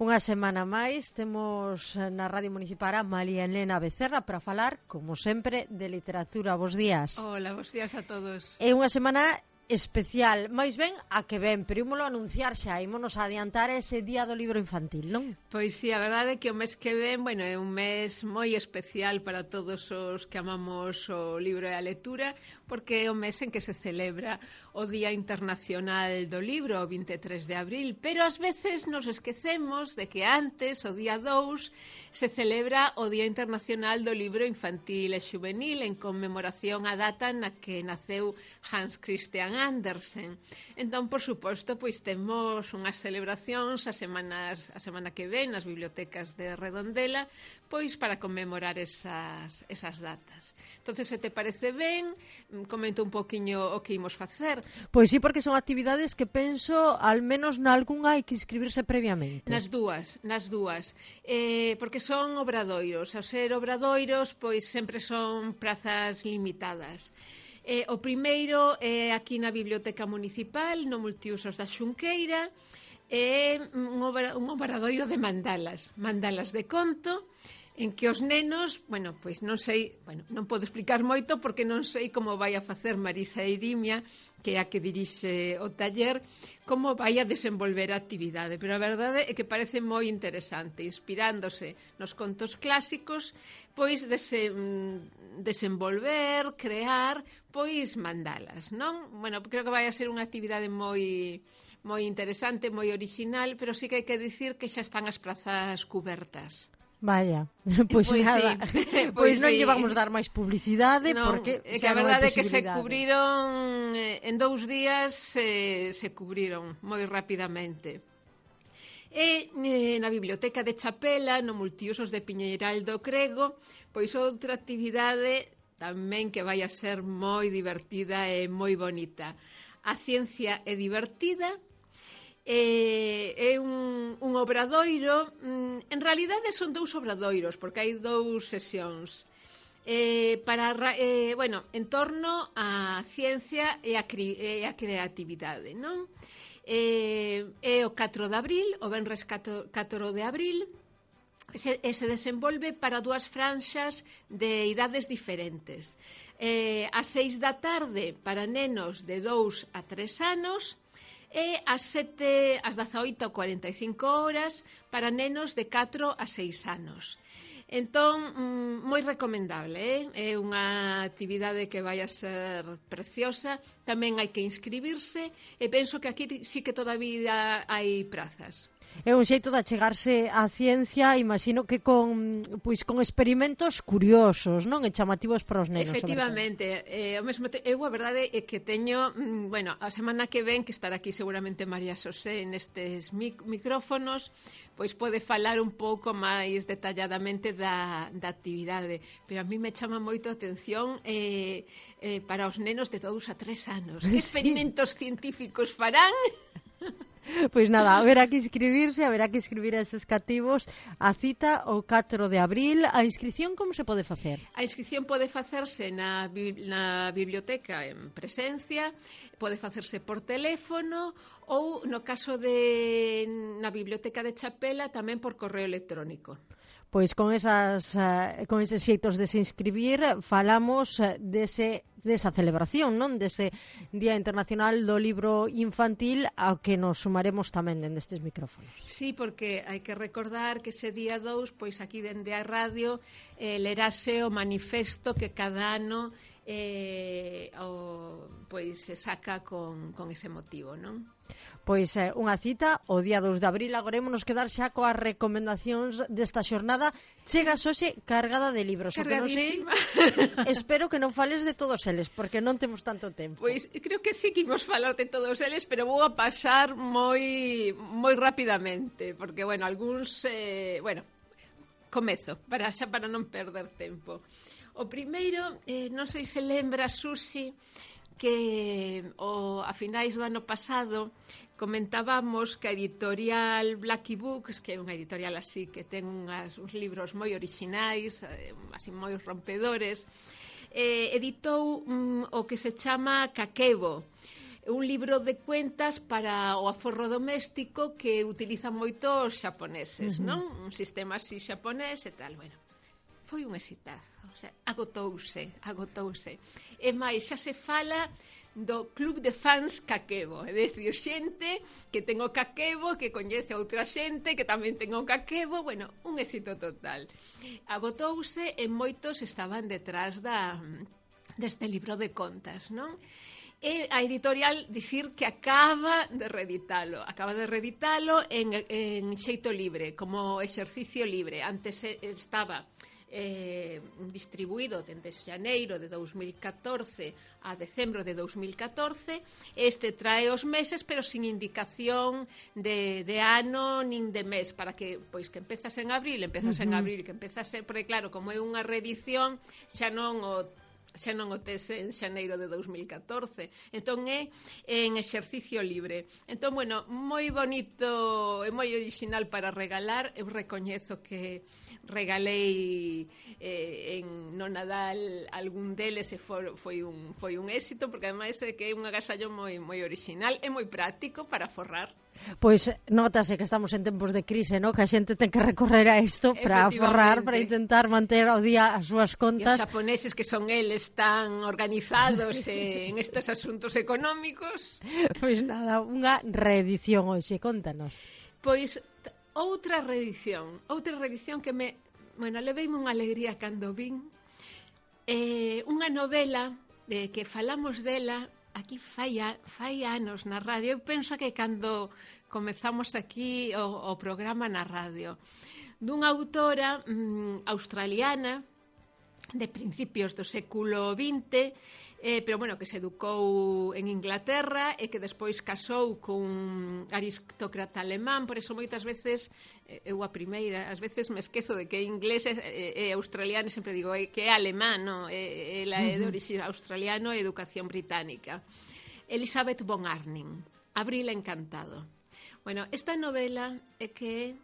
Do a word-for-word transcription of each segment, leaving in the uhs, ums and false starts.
Unha semana máis temos na Radio Municipal a María Elena Becerra para falar, como sempre, de literatura. Bos días. Hola, bos días a todos. É unha semana especial, máis ben a que ven, pero ímolo anunciar xa, ímonos adiantar ese día do libro infantil, non? Pois sí, a verdade é que o mes que ven, bueno, é un mes moi especial para todos os que amamos o libro e a lectura, porque é o mes en que se celebra o Día Internacional do Libro, o vinte e tres de abril, pero ás veces nos esquecemos de que antes, o día dous, se celebra o Día Internacional do Libro Infantil e Xuvenil en conmemoración á data na que naceu Hans Christian Andersen. Entón, por suposto, pois temos unhas celebracións a semanas a semana que ven nas bibliotecas de Redondela, pois para conmemorar esas esas datas. Entonces, se te parece ben, comento un poquiño o que imos facer. Pois sí, porque son actividades que penso, al menos nalgúnha hai que inscribirse previamente. Nas dúas, nas dúas. Eh, porque son obradoiros. Ao ser obradoiros, pois sempre son prazas limitadas. Eh, o primeiro é aquí na Biblioteca Municipal, no Multiusos da Xunqueira, é un, obra, un obradoiro de mandalas, mandalas de conto, en que os nenos, bueno, pois non sei, bueno, non podo explicar moito porque non sei como vai a facer Marisa Irimia, que é a que dirixe o taller, como vai a desenvolver a actividade, pero a verdade é que parece moi interesante, inspirándose nos contos clásicos, pois dese, desenvolver, crear, pois mandalas, non? Bueno, creo que vai a ser unha actividade moi moi interesante, moi orixinal, pero sí que hai que dicir que xa están as prazas cubertas. Vaya, pois, pois nada, sí. pois, pois non sí. lle vamos dar máis publicidade, non, porque é que xa a non hai verdade é que se posibilidade. cubriron en dous días se, se cubriron moi rapidamente. E eh, na Biblioteca de Chapela, no Multiusos de Piñeiral do Crego, pois outra actividade tamén que vai a ser moi divertida e moi bonita. A ciencia é divertida. É, é un, un obradoiro, en realidade son dous obradoiros porque hai dous sesións eh, para, eh, bueno, en torno á ciencia e a, e a creatividade, non? Eh, é o catro de abril, o venres catro de abril, se, e se desenvolve para dúas franxas de idades diferentes. Eh, a seis da tarde para nenos de dous a tres anos, e ás sete, ás dezaoito a cuarenta e cinco horas para nenos de catro a seis anos. Entón, moi recomendable, eh? É unha actividade que vai a ser preciosa, tamén hai que inscribirse, e penso que aquí sí que todavía hai prazas. É un xeito de achegarse á ciencia, imagino que con pois con experimentos curiosos, non? E chamativos para os nenos. Efectivamente, eh, ao mesmo te... eu a verdade é que teño, bueno, a semana que ven que estará aquí seguramente María Xosé nestes mic micrófonos, pois pode falar un pouco máis detalladamente da, da actividade, pero a mí me chama moito a atención eh, eh, para os nenos de dous a tres anos. Que experimentos sí. científicos farán? Pois nada, haberá que inscribirse, haberá que inscribir a eses cativos. A cita o catro de abril. A inscripción como se pode facer? A inscripción pode facerse na, na biblioteca en presencia, pode facerse por teléfono ou, no caso de na biblioteca de Chapela, tamén por correo electrónico. Pois con esas uh, con eses xeitos de se inscribir falamos uh, dese desa celebración, non? Dese Día Internacional do Libro Infantil ao que nos sumaremos tamén dende estes micrófonos. Sí, porque hai que recordar que ese día dous, pois aquí dende a radio eh, lerase o manifesto que cada ano eh, o, pois se saca con, con ese motivo, non? Pois é, eh, unha cita o día dous de abril. Agora ímonos quedar xa coas recomendacións desta xornada. Chegas hoxe cargada de libros. Cargadísima. Que non sei, espero que non fales de todos eles, porque non temos tanto tempo. Pois creo que sí que imos falar de todos eles, pero vou a pasar moi moi rapidamente, porque, bueno, algúns, eh, bueno, comezo, para xa para non perder tempo. O primeiro, eh, non sei se lembra, Susi, que o, a finais do ano pasado comentábamos que a editorial Blacky Books, que é unha editorial así que ten unhas, uns libros moi orixinais, eh, así moi rompedores, eh, editou um, o que se chama Kakebo, un libro de cuentas para o aforro doméstico que utilizan moito os xaponeses, uh-huh. non? Un sistema así xaponés e tal, bueno. Foi un exitazo, o sea, agotouse, agotouse. E máis, xa se fala do club de fans Kakebo, é dicir, xente que ten o Kakebo, que coñece a outra xente que tamén ten o Kakebo, bueno, un éxito total. Agotouse e moitos estaban detrás da deste libro de contas, non? E a editorial dicir que acaba de reeditalo, acaba de reeditalo en, en xeito libre, como exercicio libre. Antes estaba eh, distribuído dende xaneiro de dous mil catorce a decembro de dous mil catorce. Este trae os meses, pero sin indicación de, de ano nin de mes, para que, pois, que empezas en abril, empezas uh-huh. en abril, que empezas en... Porque, claro, como é unha reedición, xa non o xa non o tes en xaneiro de dous mil catorce, entón é en exercicio libre. Entón, bueno, moi bonito e moi original para regalar. Eu recoñezo que regalei eh, en no Nadal algún deles e for, foi, un, foi un éxito, porque ademais é que é un agasallo moi, moi original e moi práctico para forrar. Pois notase que estamos en tempos de crise, ¿no? Que a xente ten que recorrer a isto para forrar, para intentar manter ao día as súas contas. E os xaponeses, que son eles tan organizados en estes asuntos económicos. Pois nada, unha reedición hoxe, contanos. Pois outra reedición, outra reedición que me, bueno, leveime unha alegría cando vin. Eh, unha novela de que falamos dela aquí fai, a, fai anos na radio. Eu penso que cando comezamos aquí o, o programa na radio, dunha autora mm, australiana de principios do século vinte, eh, pero bueno, que se educou en Inglaterra e que despois casou cun aristócrata alemán. Por eso moitas veces, eh, eu a primeira, ás veces me esquezo de que é inglés e eh, eh, australiano, e sempre digo eh, que é alemán, no? Eh, ela é de orixe australiano e educación británica. Elizabeth von Arnim, Abril encantado. Bueno, esta novela é que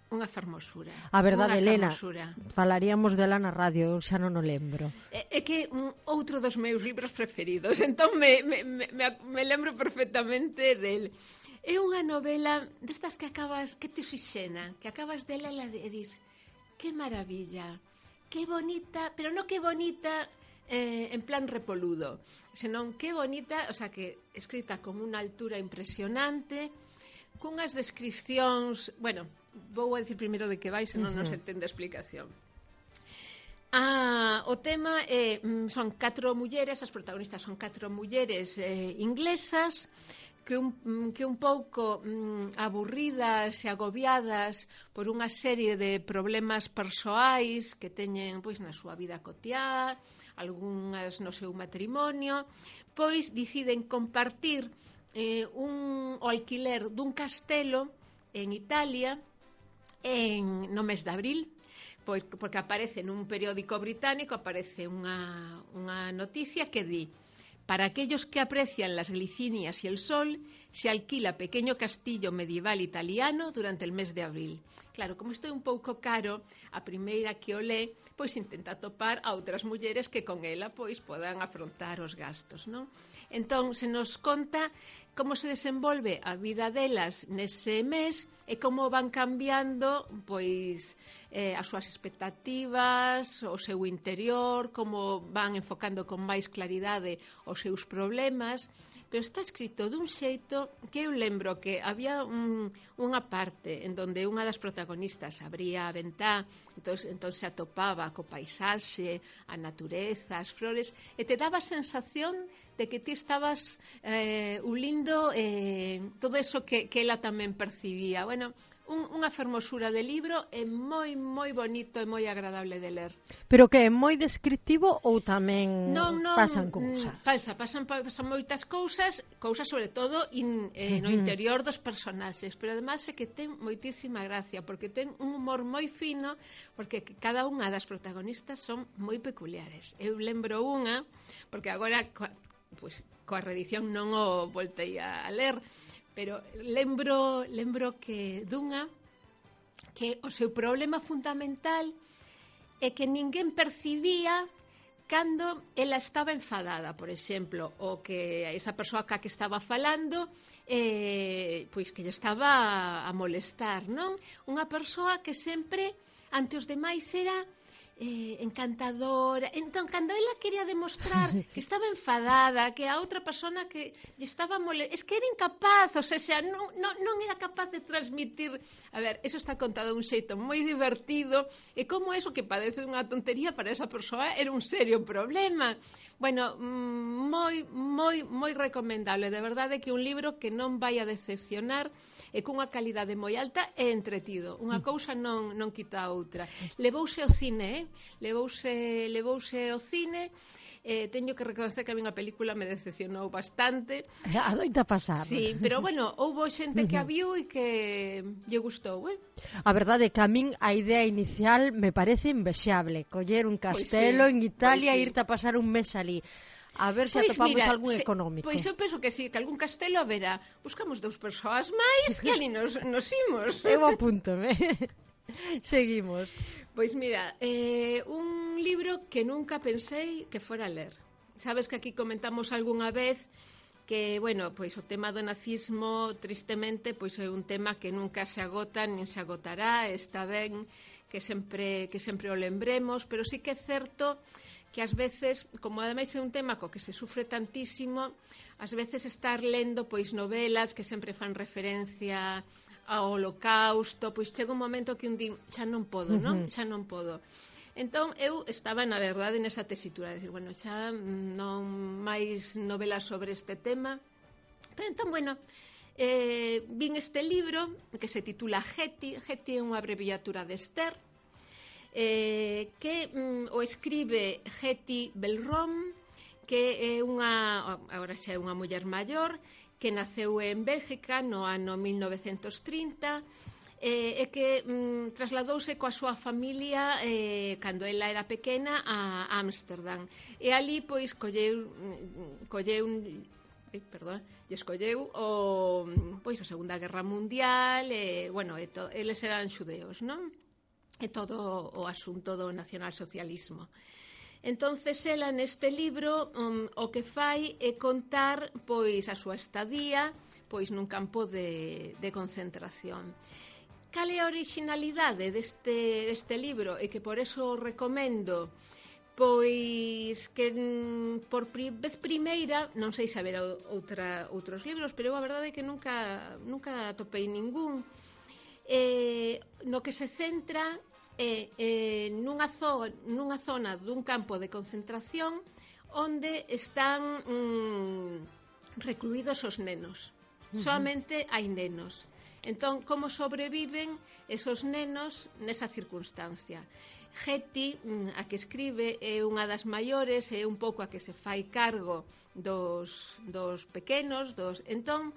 unha fermosura. A verdade, Elena, fermosura. Falaríamos dela na radio, eu xa non o lembro. É, é que un outro dos meus libros preferidos, entón me, me, me, me lembro perfectamente del. É unha novela destas que acabas, que te oxixena, que acabas dela e dis, que maravilla, que bonita, pero non que bonita eh, en plan repoludo, senón que bonita, o sea, que escrita con unha altura impresionante, cunhas descripcións, bueno, vou a dicir primeiro de que vai, senón uh-huh. non se entende a explicación. Ah, o tema é, son catro mulleres, as protagonistas son catro mulleres eh, inglesas que un, que un pouco mm, aburridas e agobiadas por unha serie de problemas persoais que teñen pois na súa vida cotiá, algunhas no seu matrimonio, pois deciden compartir eh, un, o alquiler dun castelo en Italia en, no mes de abril, pois, porque aparece nun periódico británico, aparece unha, unha noticia que di: para aquellos que aprecian las glicinias y el sol, se alquila pequeño castillo medieval italiano durante el mes de abril. Claro, como isto é un pouco caro, a primeira que o lé, pois intenta topar a outras mulleres que con ela pois podan afrontar os gastos, non? Entón, se nos conta como se desenvolve a vida delas nese mes e como van cambiando pois eh, as súas expectativas, o seu interior, como van enfocando con máis claridade os seus problemas. Pero está escrito dun xeito que eu lembro que había un, unha parte en donde unha das protagonistas abría a ventá, entón, entón se atopaba co paisaxe, a natureza, as flores, e te daba a sensación de que ti estabas eh, ulindo eh, todo eso que, que ela tamén percibía. Bueno, un, unha fermosura de libro é moi, moi bonito e moi agradable de ler. Pero que é moi descriptivo ou tamén non, non, pasan cousas? Pasa, pasan, pasan moitas cousas, cousas sobre todo in, eh, no interior dos personaxes, pero además é que ten moitísima gracia, porque ten un humor moi fino, porque cada unha das protagonistas son moi peculiares. Eu lembro unha, porque agora pues, coa reedición non o voltei a ler, pero lembro, lembro que dunha que o seu problema fundamental é que ninguén percibía cando ela estaba enfadada, por exemplo, ou que esa persoa ca que estaba falando eh, pois que lle estaba a molestar, non? Unha persoa que sempre ante os demais era eh, encantadora. Entón, cando ela quería demostrar que estaba enfadada, que a outra persona que lle estaba molestando, es que era incapaz, o sea, non, non, non era capaz de transmitir. A ver, eso está contado de un xeito moi divertido, e como eso que padece unha tontería para esa persoa era un serio problema. Bueno, moi, moi, moi recomendable, de verdade que un libro que non vai a decepcionar, e cunha calidade moi alta e entretido. Unha cousa non, non quita a outra. Levouse ao cine, eh? Levouse, levouse ao cine, eh, teño que reconocer que a mí a película me decepcionou bastante. Adoita pasar. Sí, pero bueno, houbo xente que a viu e que lle gustou, eh? A verdade é que a min a idea inicial me parece invexable, coller un castelo Pois sí, en Italia pois e sí. irte a pasar un mes ali. A ver se Pois atopamos mira, algún se, económico. Pois eu penso que sí, que algún castelo haberá. Buscamos dous persoas máis e ali nos, nos imos. Eu apúntome. Seguimos. Pois mira, eh, un libro que nunca pensei que fora a ler. Sabes que aquí comentamos algunha vez que, bueno, pois o tema do nazismo, tristemente, pois é un tema que nunca se agota, nin se agotará, está ben que sempre que sempre o lembremos, pero sí que é certo que ás veces, como ademais é un tema co que se sufre tantísimo, ás veces estar lendo pois novelas que sempre fan referencia ao holocausto, pois chega un momento que un din, xa non podo, non? Xa non podo. Entón, eu estaba, na verdade, nesa tesitura, de decir, bueno, xa non máis novelas sobre este tema, pero entón, bueno, eh, vin este libro que se titula Getty. Getty é unha abreviatura de Esther, eh, que mm, o escribe Hetty Bellrom, que é unha, agora xa é unha muller maior, que naceu en Bélgica no ano mil novecentos trinta, eh, e que mm, trasladouse coa súa familia eh, cando ela era pequena a Ámsterdam, e ali pois colleu colleu Ai, perdón, e escolleu o, pois, a Segunda Guerra Mundial, e, bueno, e to, eles eran xudeos, non? E todo o asunto do nacionalsocialismo. Entonces, ela neste libro um, o que fai é contar pois a súa estadía pois nun campo de, de concentración. Cal é a originalidade deste, deste libro? E que por eso o recomendo. Pois que por pri, vez primeira, non sei se haberá outra, outros libros, pero a verdade é que nunca, nunca atopei ningún, eh, no que se centra é eh, nunha, zo, nunha zona dun campo de concentración onde están mm, recluídos os nenos. Uh-huh. Solamente hai nenos. Entón, como sobreviven esos nenos nesa circunstancia? Getty, a que escribe, é unha das maiores, é un pouco a que se fai cargo dos, dos pequenos, dos... Entón,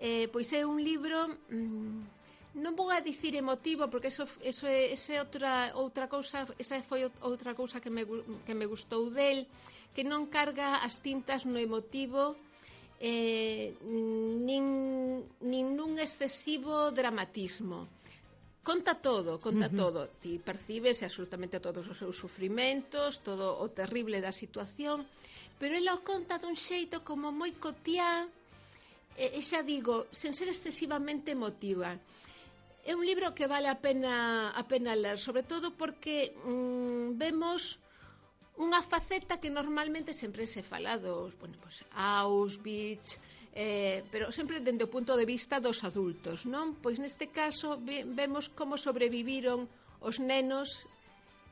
eh, pois é un libro, mmm, non vou a dicir emotivo, porque eso, eso é, esa é outra, outra cousa, esa foi outra cousa que me, que me gustou del, que non carga as tintas no emotivo, eh, nin, nin nun excesivo dramatismo. Conta todo, conta uh-huh. todo. Ti percibes absolutamente todos os seus sufrimentos, todo o terrible da situación, pero ela o conta dun xeito como moi cotiá, e, e xa digo, sen ser excesivamente emotiva. É un libro que vale a pena, a pena ler, sobre todo porque mm, vemos unha faceta que normalmente sempre se fala dos, bueno, pues, Auschwitz, eh, pero sempre dende o punto de vista dos adultos, non? Pois neste caso ve, vemos como sobreviviron os nenos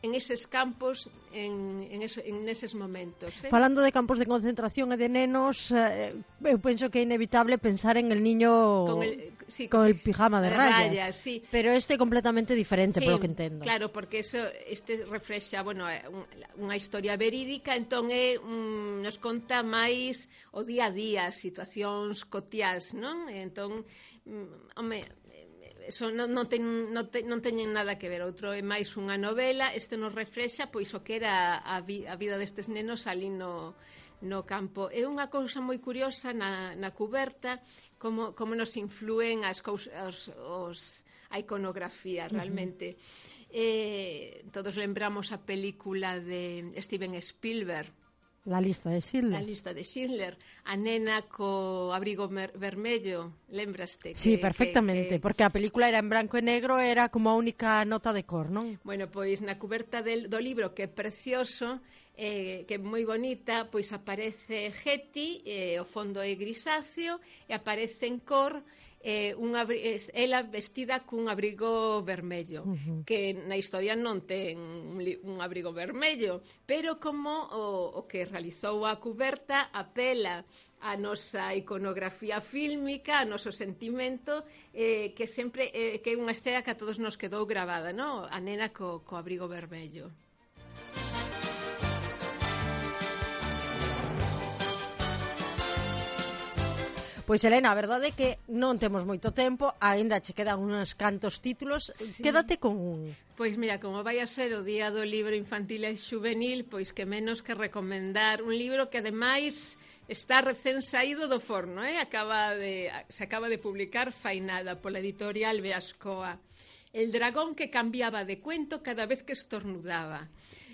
en eses campos, en, en, eso, en eses momentos. Eh? Falando de campos de concentración e de nenos, eh, eu penso que é inevitable pensar en el niño con el, sí, con el pijama de, de rayas, rayas sí. Pero este é completamente diferente, sí, polo que entendo. Claro, porque eso, este reflexa, bueno, unha historia verídica, entón é, um, nos conta máis o día a día, situacións cotiás, non? Entón, um, home, eso non, non, ten, non, ten, non teñen nada que ver. Outro é máis unha novela, este nos reflexa pois o que era a, vi, a vida destes nenos ali no, no campo. É unha cousa moi curiosa na, na cuberta, como, como nos influen as cousas, os, os, a iconografía realmente. Uh-huh. Eh, todos lembramos a película de Steven Spielberg, La lista de Schindler. La lista de Schindler, a nena co abrigo vermello, lembraste? Sí, que, perfectamente, que, que... porque a película era en branco e negro, era como a única nota de cor, non? Bueno, pois na cuberta del, do libro, que é precioso, eh, que é moi bonita, pois aparece Hetty, eh, o fondo é grisáceo, e aparece en cor eh, un abri ela vestida cun abrigo vermello, uh-huh. que na historia non ten un, un abrigo vermello, pero como o, o que realizou a cuberta apela a nosa iconografía fílmica, a noso sentimento, eh, que sempre eh, que é unha escena que a todos nos quedou gravada, ¿no? A nena co, co abrigo vermello. Pois, Elena, a verdade é que non temos moito tempo, aínda che quedan uns cantos títulos, sí. Quédate con un. Pois mira, como vai a ser o Día do Libro Infantil e Xuvenil, pois que menos que recomendar un libro que ademais está recén saído do forno, eh? acaba de, se acaba de publicar fai nada pola editorial Beascoa. El dragón que cambiaba de cuento cada vez que estornudaba,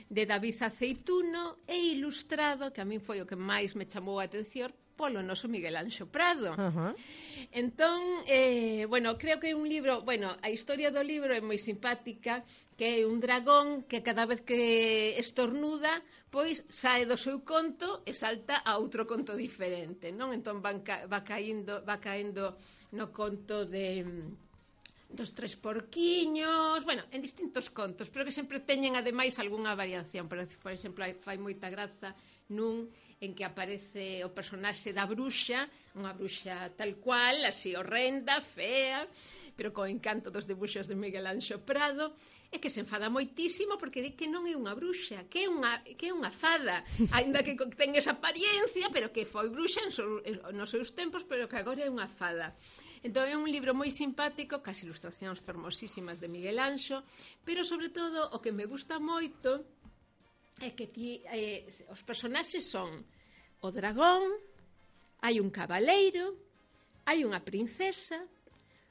de David Aceituno, e ilustrado, que a min foi o que máis me chamou a atención, polo noso Miguel Anxo Prado. Uh-huh. Entón, eh, bueno, creo que é un libro, bueno, a historia do libro é moi simpática, que é un dragón que cada vez que estornuda, pois sae do seu conto e salta a outro conto diferente, non? Entón van ca va caíndo, va caendo no conto de dos tres porquiños, bueno, en distintos contos, pero que sempre teñen ademais algunha variación. Por, por exemplo, fai moita graza nun en que aparece o personaxe da bruxa, unha bruxa tal cual, así horrenda, fea, pero co encanto dos debuxos de Miguel Anxo Prado, e que se enfada moitísimo porque di que non é unha bruxa, que é unha, que é unha fada, aínda que ten esa apariencia, pero que foi bruxa en so, en, nos seus tempos, pero que agora é unha fada. Entón é un libro moi simpático, cas ilustracións fermosísimas de Miguel Anxo, pero sobre todo o que me gusta moito é que ti, eh, os personaxes son o dragón, hai un cabaleiro, hai unha princesa,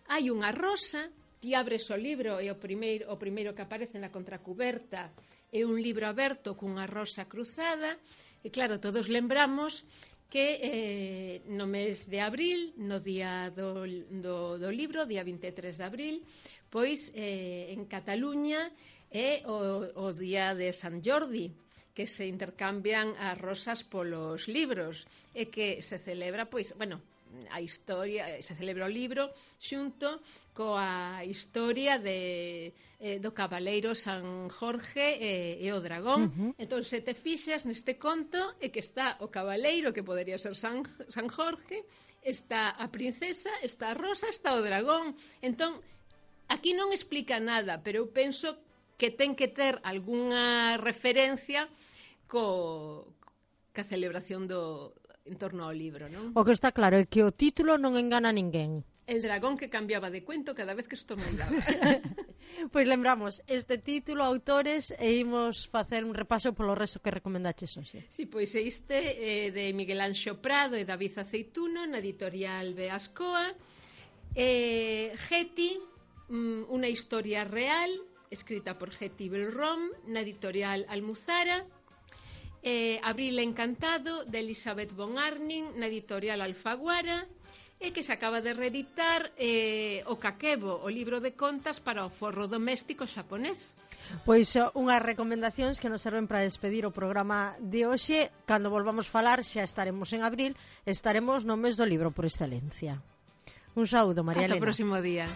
hai unha rosa. Ti abres o libro e o primeiro, o primeiro que aparece na contracuberta é un libro aberto cunha rosa cruzada, e claro, todos lembramos que eh, no mes de abril, no día do, do, do libro, día vinte e tres de abril, pois eh, en Cataluña é o, o día de San Jordi, que se intercambian as rosas polos libros, e que se celebra, pois, bueno, a historia, se celebra o libro xunto coa historia de, eh, do cabaleiro San Jorge e, e o dragón. Uh-huh. Entón, se te fixas neste conto, é que está o cabaleiro, que podería ser San, San Jorge, está a princesa, está a rosa, está o dragón. Entón, aquí non explica nada, pero eu penso que ten que ter algunha referencia co, ca celebración do en torno ao libro, non? O que está claro é que o título non engana a ninguén. El dragón que cambiaba de cuento cada vez que estornudaba. Pois lembramos este título, autores, e imos facer un repaso polo resto que recomendaches hoxe. Si, sí, pois este eh, de Miguel Anxo Prado e David Aceituno na editorial Beascoa. Eh, Hetty, mm, unha historia real, escrita por Hetty Belrom na editorial Almuzara. Eh, Abril Encantado, de Elizabeth von Arnim, na editorial Alfaguara, e que se acaba de reeditar eh, o Kakebo, o libro de contas para o forro doméstico xaponés. Pois unhas recomendacións que nos serven para despedir o programa de hoxe. Cando volvamos falar xa estaremos en abril, estaremos no mes do libro por excelencia. Un saúdo, María Elena. Ata o próximo día.